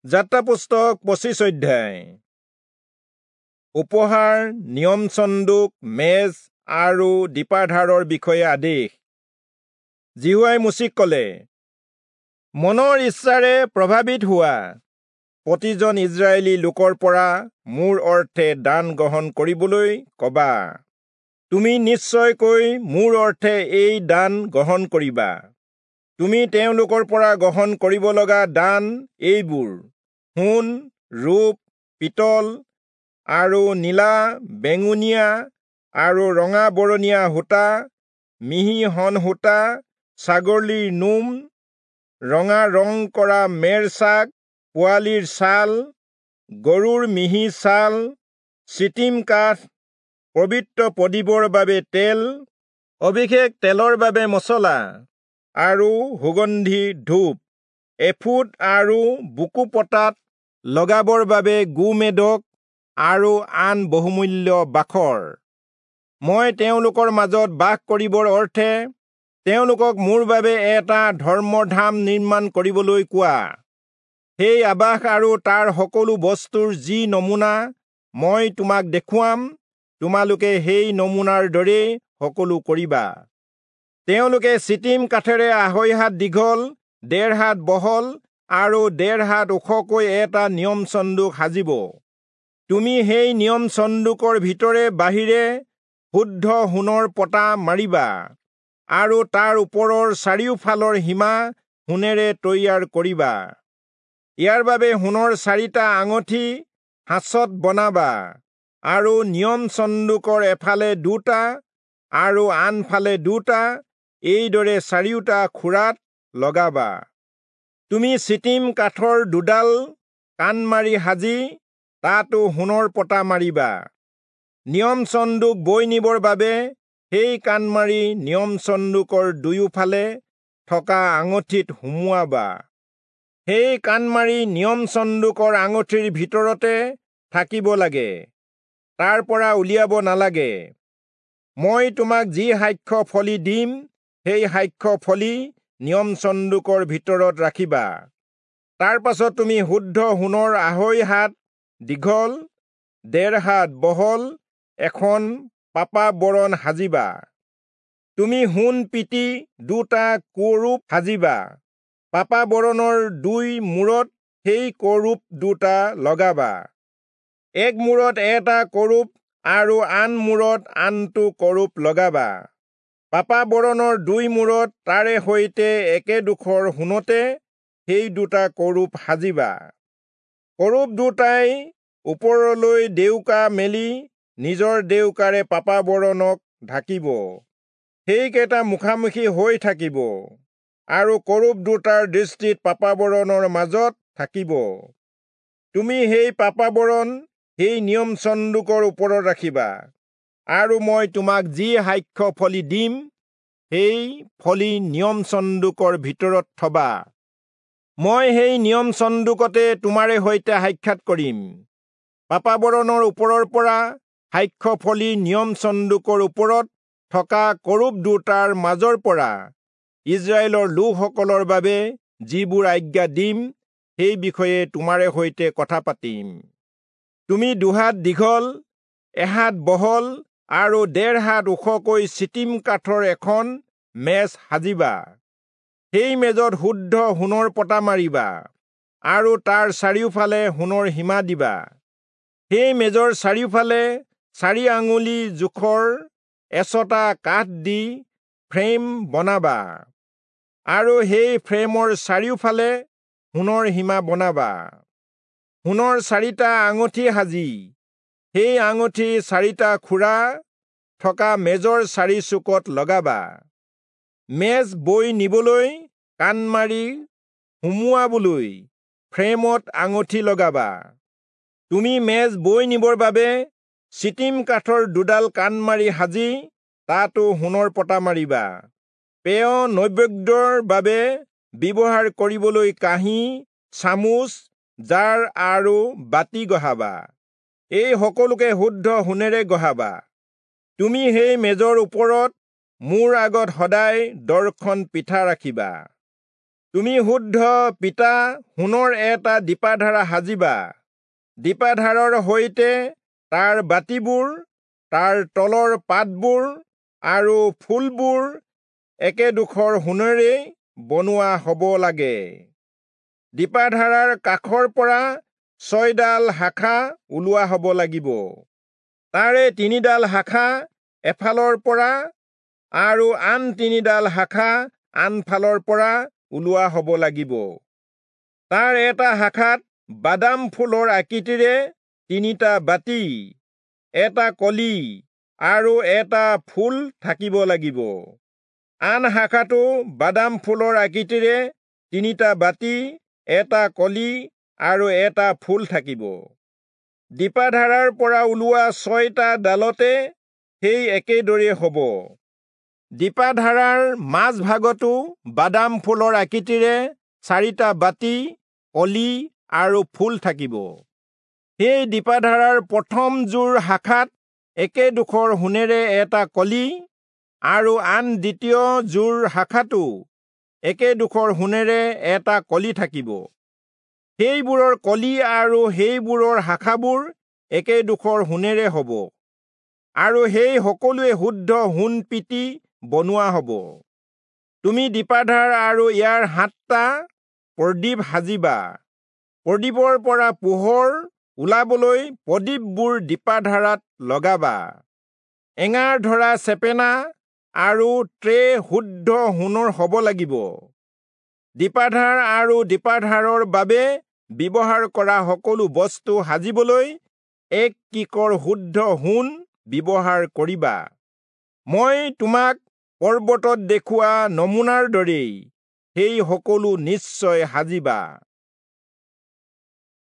যাত্ৰা পুস্তক 25 অধ্যায়। উপহাৰ, নিয়ম চন্দুক, মেজ আৰু দীপাধাৰৰ বিষয়ে আদেশ। যিহোৱাই মোচিক কলে, মনৰ ইচ্ছাৰে প্ৰভাৱিত হোৱা প্ৰতিজন ইজৰাইলী লোকৰ পৰা মোৰ অৰ্থে দান গ্ৰহণ কৰিবলৈ কবা। তুমি নিশ্চয়কৈ মোৰ অৰ্থে এই দান গ্ৰহণ কৰিবা। তুমি তেওঁলোকৰ পৰা গ্ৰহণ কৰিব লগা দান এইবোৰ: সোণ, ৰূপ, পিতল আৰু নীলা, বেঙুনীয়া আৰু ৰঙা বৰণীয়া সূতা, মিহি শণ সূতা, ছাগলীৰ নোম, ৰঙা ৰং কৰা মেৰ ছাগ, পোৱালিৰ ছাল, গৰুৰ মিহি ছাল, চিটিম কাঠ, পবিত্ৰ প্ৰদীপৰ বাবে তেল, অভিষেক তেলৰ বাবে মছলা আৰু সুগন্ধি ধূপ, এফুট আৰু বুকু পতাত লগাবৰ বাবে গোমেদক আৰু আন বহুমূল্য বাখৰ। মই তেওঁলোকৰ মাজত বাস কৰিবৰ অৰ্থে তেওঁলোকক মোৰ বাবে এটা ধৰ্মধাম নিৰ্মাণ কৰিবলৈ কোৱা। সেই আবাস আৰু তাৰ সকলো বস্তুৰ যি নমুনা মই তোমাক দেখুৱাম, তোমালোকে সেই নমুনাৰ দৰেই সকলো কৰিবা। তেওঁলোকে চিটিম কাঠেৰে 2.5 হাত দীঘল, 1.5 হাত বহল আৰু 1.5 হাত ওখকৈ এটা নিয়ম চন্দুক সাজিব। তুমি সেই নিয়ম চন্দুকৰ ভিতৰে বাহিৰে শুদ্ধ সোণৰ পতা মাৰিবা আৰু তাৰ ওপৰৰ চাৰিওফালৰ সীমা সোণেৰে তৈয়াৰ কৰিবা। ইয়াৰ বাবে সোণৰ 4টা আঙঠি সাঁচত বনাবা আৰু নিয়ম চন্দুকৰ এফালে 2টা আৰু আনফালে 2টা, এইদৰে 4টা খুৰাত লগাবা। তুমি চিটিম কাঠৰ 2ডাল কাণমাৰি সাজি তাতো সোণৰ পতা মাৰিবা। নিয়ম চন্দুক বৈ নিবৰ বাবে সেই কাণমাৰি নিয়ম চন্দুকৰ দুয়োফালে থকা আঙঠিত সুমুৱাবা। সেই কাণমাৰি নিয়ম চন্দুকৰ আঙঠিৰ ভিতৰতে থাকিব লাগে, তাৰ পৰা উলিয়াব নালাগে। মই তোমাক যি সাক্ষ্য ফলি দিম, সেই সাক্ষ্য ফলি নিয়ম চন্দুকৰ ভিতৰত ৰাখিবা। তাৰ পাছত তুমি শুদ্ধ সোণৰ 2.5 হাত দীঘল, 1.5 হাত বহল এখন পাপাবৰণ সাজিবা। তুমি সোণ পিটি 2টা কৰূপ সাজিবা। পাপাবৰণৰ 2 মূৰত সেই কৰূপ 2টা লগাবা। এক মূৰত এটা কৰূপ আৰু আন মূৰত আনটো কৰূপ লগাবা। পাপাবৰণৰ 2 মূৰত তাৰে সৈতে একেডোখৰ সোণতে সেই 2টা কৰূপ সাজিবা। কৰূপ 2টাই ওপৰলৈ ডেউকা মেলি নিজৰ ডেউকাৰে পাপাবৰণক ঢাকিব। সেইকেইটা মুখামুখি হৈ থাকিব আৰু কৰূপ 2টাৰ দৃষ্টিত পাপাবৰণৰ মাজত থাকিব। তুমি সেই পাপাবৰণ সেই নিয়ম চন্দুকৰ ওপৰত ৰাখিবা আৰু মই তোমাক যি সাক্ষ্য ফলি দিম, সেই ফলি নিয়ম চন্দুকৰ ভিতৰত থবা। মই সেই নিয়ম চন্দুকতে তোমাৰে সৈতে সাক্ষাৎ কৰিম। পাপাবৰণৰ ওপৰৰ পৰা সাক্ষ্য ফলি নিয়ম চন্দুকৰ ওপৰত থকা কৰূপ 2টাৰ মাজৰ পৰা ইজৰাইলৰ লোকসকলৰ বাবে যিবোৰ আজ্ঞা দিম, সেই বিষয়ে তোমাৰে সৈতে কথা পাতিম। তুমি 2 হাত দীঘল, 1 হাত বহল আৰু 1.5 হাত ওখকৈ চিটিম কাঠৰ এখন মেজ সাজিবা। সেই মেজত শুদ্ধ সোণৰ পতা মাৰিবা আৰু তাৰ চাৰিওফালে সোণৰ সীমা দিবা। সেই মেজৰ চাৰিওফালে 4 আঙুলি জোখৰ এচটা কাঠ দি ফ্ৰেম বনাবা আৰু সেই ফ্ৰেমৰ চাৰিওফালে সোণৰ সীমা বনাবা। সোণৰ 4টা আঙঠি সাজি সেই আঙঠি 4টা খুৰা থকা মেজৰ 4 চুকত লগাবা। মেজ বৈ নিবলৈ কাণমাৰি সুমুৱাবলৈ ফ্ৰেমত আঙঠি লগাবা। তুমি মেজ বৈ নিবৰ বাবে চিটিম কাঠৰ 2ডাল কাণমাৰি সাজি তাতো সোণৰ পতা মাৰিবা। পেয় নৈবেদ্যৰ বাবে ব্যৱহাৰ কৰিবলৈ কাঁহী, চামুচ, জাৰ আৰু বাতি গঢ়াবা। এই সকলোকে শুদ্ধ সোণেৰে গঢ়াবা। তুমি সেই মেজৰ ওপৰত মোৰ আগত সদায় দৰ্শন পিঠা ৰাখিবা। তুমি শুদ্ধ পিতা সোণৰ এটা দীপাধাৰা সাজিবা। দীপাধাৰৰ সৈতে তাৰ বাতিবোৰ, তাৰ তলৰ পাতবোৰ আৰু ফুলবোৰ একেডোখৰ সোণেৰেই বনোৱা হ'ব লাগে। দীপাধাৰাৰ কাষৰ পৰা 6ডাল শাখা ওলোৱা হ'ব লাগিব। তাৰে 3ডাল শাখা এফালৰ পৰা আৰু আন 3ডাল শাখা আনফালৰ পৰা ওলোৱা হ'ব লাগিব। তাৰ এটা শাখাত বাদাম ফুলৰ আকৃতিৰে 3টা বাতি, এটা কলি আৰু এটা ফুল থাকিব লাগিব। আন শাখাটো বাদাম ফুলৰ আকৃতিৰে 3টা বাতি, এটা কলি আৰু এটা ফুল থাকিব। দীপাধাৰাৰ পৰা ওলোৱা 6টা ডালতে সেই একেদৰে হ'ব। দীপাধাৰাৰ মাজভাগতো বাদাম ফুলৰ আকৃতিৰে 4টা বাতি, কলি আৰু ফুল থাকিব। সেই দীপাধাৰাৰ প্ৰথম যোৰ শাখাত একেডোখৰ সোণেৰে এটা কলি আৰু আন দ্বিতীয় যোৰ শাখাতো একেডোখৰ সোণেৰে এটা কলি থাকিব। সেইবোৰৰ কলি আৰু সেইবোৰৰ শাখাবোৰ একেডোখৰ সোণেৰে হ'ব আৰু সেই সকলোৱে শুদ্ধ সোণ পিটি বনোৱা হ'ব। তুমি দীপাধাৰ আৰু ইয়াৰ 7টা প্ৰদীপ সাজিবা। প্ৰদীপৰ পৰা পোহৰ ওলাবলৈ প্ৰদীপবোৰ দীপাধাৰাত লগাবা। এঙাৰ ধৰা চেপেনা আৰু ট্ৰে শুদ্ধ সোণৰ হ'ব লাগিব। দীপাধাৰ আৰু দীপাধাৰৰ বাবে ব্যৱহাৰ কৰা সকলো বস্তু সাজিবলৈ 1 কিকৰ শুদ্ধ সোণ ব্যৱহাৰ কৰিবা। মই তোমাক পৰ্বতত দেখুওৱা নমুনাৰ দৰেই সেই সকলো নিশ্চয় সাজিবা।